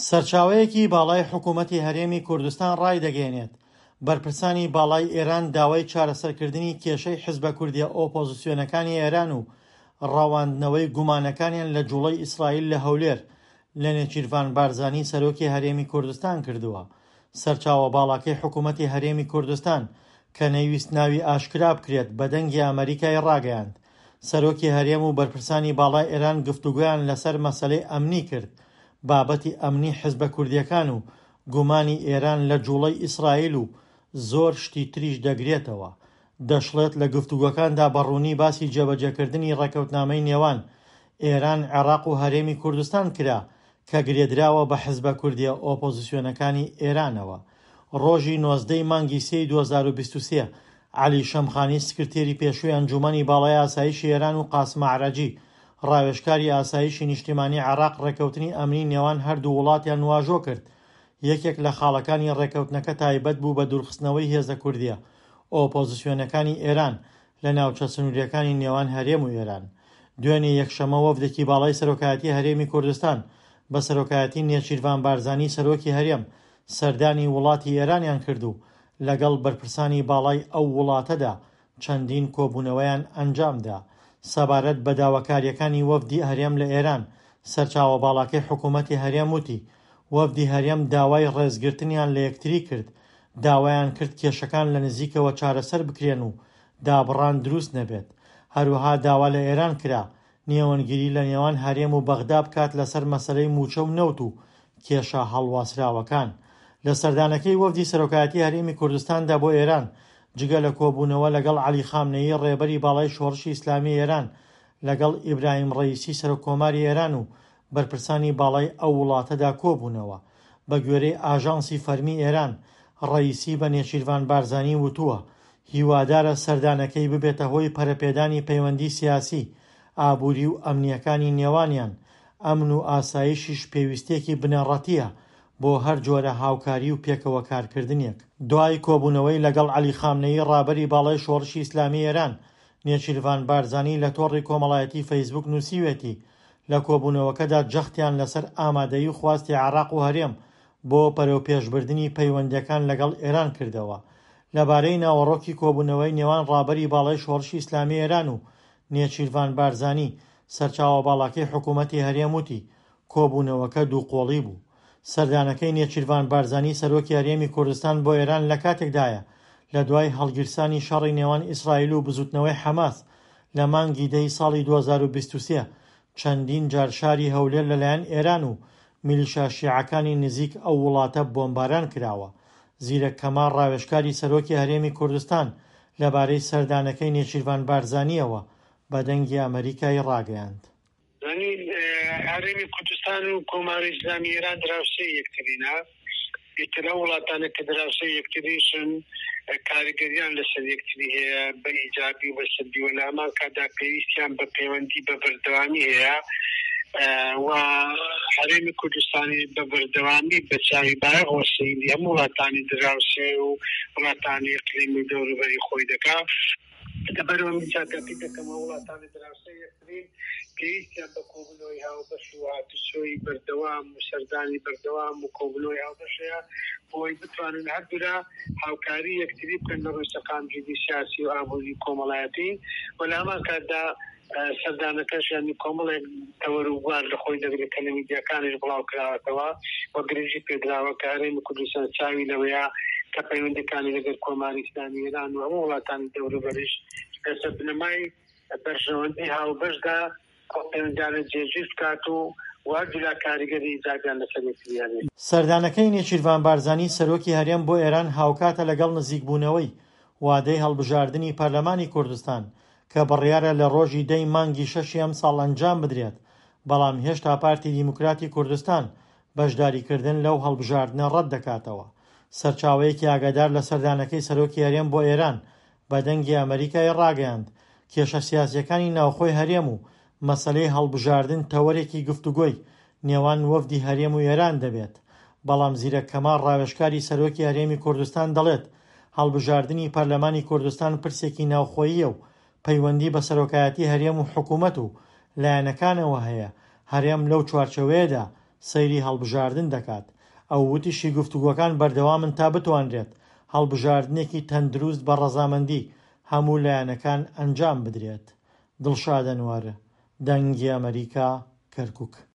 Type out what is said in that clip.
سەرچاوەیەکی باڵای حکوومەتی هەرێمی کوردستان ڕایدەگەیەنێت، بەرپرسانی باڵای ئێران داوای چارەسەرکردنی کێشەی حزبە کوردییە ئۆپۆزسیۆنەکانی ئێران و ڕەواندنەوەی گومانەکانیان لە جوڵەی ئیسرائیل لە هەولێر لە نێچیرڤان بارزانی سەرۆکی هەرێمی کوردستان کردووە. سەرچاوە باڵاکەی حکوومەتی هەرێمی کوردستان کە نەیویست ناوی ئاشکرا بکرێت بە دەنگی ئەمەریکای ڕاگەیاند، سەرۆکی هەرێم و بەرپرسانی باڵای ئێران گفتوگۆیان لەسەر مەسەلەی ئەمنی کرد، بابەتی ئەمنی حزبە کوردییەکان و گومانی ئێران لە جوڵەی ئیسرائیل و زۆر شتی تریش دەگرێتەوە. دەشڵێت لە گفتوگۆکاندا بە ڕوونی باسی جێبەجێکردنی ڕێککەوتنامەی نێوان ئێران، عێراق و هەرێمی کوردستان کرا کە گرێدراوە بە حزبە کوردییە ئۆپۆزسیۆنەکانی ئێرانەوە. ڕۆژی 19 ی مانگی سێی 2023 عەلی شەمخانی سکرتێری پێشووی ئەنجوومەنی باڵای ئاسایشی ئێران و قاسم ئەعرەجی ڕاوێژکاری ئاسایشی نیشتیمانی عێراق ڕێککەوتنی ئەمنی نێوان هەردوو وڵاتیان واژۆ کرد. یەکێک لە خاڵەکانی ڕێککەوتنەکە تایبەت بوو بە دوورخستنەوەی هێزە کوردییە ئۆپۆزسیۆنەکانی ئێران لە ناوچە سنوورییەکانی نێوان هەرێم و ئێران. دوێنێ یەکشەممە وەفدێکی باڵای سەرۆکایەتی هەرێمی کوردستان بە سەرۆکایەتی نێچیرڤان بارزانی سەرۆکی هەرێم سەردانی وڵاتی ئێرانیان کرد و لەگەڵ بەرپرسانی باڵای ئەو وڵاتەدا چەندین کۆبوونەوەیان ئەنجامدا. سەبارەت بە داواکارییەکانی وەفدی هەرێم لە ئێران، سەرچاوە باڵاکەی حکوومەتی هەرێم وتی، وەفدی هەرێم داوای ڕێزگرتنیان لە یەکتری کرد، داوایان کرد کێشەکان لە نزیکەوە چارەسەر بکرێن و دابڕان دروست نەبێت. هەروەها داوا لە ئێران کرا نێوەندگیری لە نێوان هەرێم و بەغدا بکات لەسەر مەسەلەی مووچە و نەوت و کێشە هەڵواسراوەکان. لە سەردانەکەی وەفدی سەرۆکایەتی هەرێمی کوردستاندا بۆ ئێران، جگە لە کۆبوونەوە لەگەڵ عەلی خامنەیی ڕێبەری باڵای شۆڕشی ئیسلامی ئێران، لەگەڵ ئیبراهیم ڕەئیسی سەرۆککۆماری ئێران و بەرپرسانی باڵای ئەو وڵاتەدا کۆبوونەوە. بە گوێرەی ئاژانسی فەرمی ئێران، ڕەئیسی بە نێچیرڤان بارزانی وتووە، هیوادارە سەردانەکەی ببێتە هۆی پەرەپێدانی پەیوەندی سیاسی، ئابووری و ئەمنییەکانی نێوانیان، ئەمن و ئاسایشیش پێویستییەکی بنەڕەتییە بۆ هەر جۆرە هاوکاری و پێکەوە کارکردنێک. دوای کۆبوونەوەی لەگەڵ عەلی خامنەیی ڕابەری باڵای شۆڕشی ئیسلامی ئێران، نێچیرڤان بارزانی لە تۆڕی کۆمەڵایەتی فەیسبوک نووسیوێتی، لە کۆبوونەوەکەدا جەختیان لەسەر ئامادەیی و خواستی عێراق و هەرێم بۆ بەرەوپێشبردنی پەیوەندییەکان لەگەڵ ئێران کردەوە. لەبارەی ناوەڕۆکی کۆبوونەوەی نێوان ڕابەری باڵای شۆڕشی ئیسلامی ئێران و نێچیرڤان بارزانی، سەرچاوە باڵاکەی حکوومەتی هەرێم وتی، کۆبوونەوەکە دووقۆڵی بوو. سەردانەکەی نێچیرڤان بارزانی سەرۆکی هەرێمی کوردستان بۆ ئێران لەکاتێکدایە، لەدوای هەڵگیرسانی شەڕی نێوان ئیسرائیل و بزووتنەوەی حەماس لە مانگی دە ی ساڵی 2023، چەندین جار شاری هەولێر لەلایەن ئێران و میلیشا شیعەکانی نزیک ئەو وڵاتە بۆمباران کراوە. زیرەک کەمال ڕاوێژکاری سەرۆکی هەرێمی کوردستان لەبارەی سەردانەکەی نێچیرڤان بارزانییەوە بە دەنگی ئەمەریکای ڕاگەیاند. یانی هەرێمی کوردستان و کۆماری ئیسلامی ئێران دراوسێی یەکترینە، ئیتر ئەو وڵاتانە کە دراوسێی یەکتریشن کاریگەریان لەسەر یەکتری هەیە بە ئیجابی و بە سلبی و لە هەمان کاتدا پێویستیان بە پەیوەندی بە بەردەوامی هەیە و هەرێمی کوردستانی بە بەردەوامی بە چاوی بایەخەوە سەیری هەموو وڵاتانی دراوسێ و وڵاتانی ئیقلیمی و دەوروبەری خۆی دەکا. لەبەرئەوە من چاکاتی دەکەم ئەو وڵاتانی دراوسێ یەکترین پێویستیان بە کۆبوونەوەی هاوبەش و هاتوچۆی بەردەوام و سەردانی بەردەوام و کۆبوونەوەی هاوبەش هەیە بۆ ئەوەی بتوانن هەردوولا هاوکاری یەکتری بکەن لە ڕووی سەقامگیری سیاسی و ئابووری و کۆمەڵایەتی و لە هەمان کاتدا سەردانەکەش یانی کۆمەڵێک تەوەر و بوار لە خۆی دەگرێت کە لە میدیاکانیش بڵاو کراوەتەوە و گرنگی پێدراوە کە هەرێمی کوردستان چاوی لەوەیە کە پەیوەندیەکانی لەگەل کۆماری ئیسلامی ئێران و هەموو وڵاتانی دەوروبەریش لەسەر بنەمای بەرژەوەندی هاوبەشدا ئەو پەیوەندیانە جێگیر بکات و هەردوولا کاریگەری ئیجابیان لەسەر یەکتری هەبێت. سەردانەکەی نێچیرڤان بارزانی سەرۆکی هەرێم بۆ ئێران هاوکاتە لەگەڵ نزیکبوونەوەی وادەی هەڵبژاردنی پەرلەمانی کوردستان کە بڕیارە لە ڕۆژی دە ی مانگی شەشی ئەمساڵ ئەنجام بدرێت، بەڵام هێشتا پارتی دیموکراتی کوردستان بەشداریکردن لەو هەڵبژاردنە ڕەتدەکاتەوە. سەرچاوەیەکی ئاگادار لە سەردانەکەی سەرۆکی هەرێم بۆ ئێران بە دەنگی ئەمەریکای ڕاگەیاند، کێشە سیاسییەکانی ناوخۆی هەرێم و مەسەلەی هەڵبژاردن تەوەرێکی گفتوگۆی نێوان وەفدی هەرێم و ئێران دەبێت، بەڵام زیرەک کەمال ڕاوێژکاری سەرۆکی هەرێمی کوردستان دەڵێت، هەڵبژاردنی پەرلەمانی کوردستان پرسێکی ناوخۆییە و پەیوەندی بە سەرۆکایەتی هەرێم و حکومەت و لایەنەکانەوە هەیە، هەرێم لەو چوارچێوەیەدا سەیری هەڵبژاردن دەکات. ئەو وتیشی گفتوگۆکان بەردەوامن تا بتوانرێت هەڵبژاردنێکی تەندروست بە ڕەزامەندی هەموو لایەنەکان ئەنجام بدرێت. دڵشاد ئەنوەر، دەنگی ئەمەریکا، کەرکوک.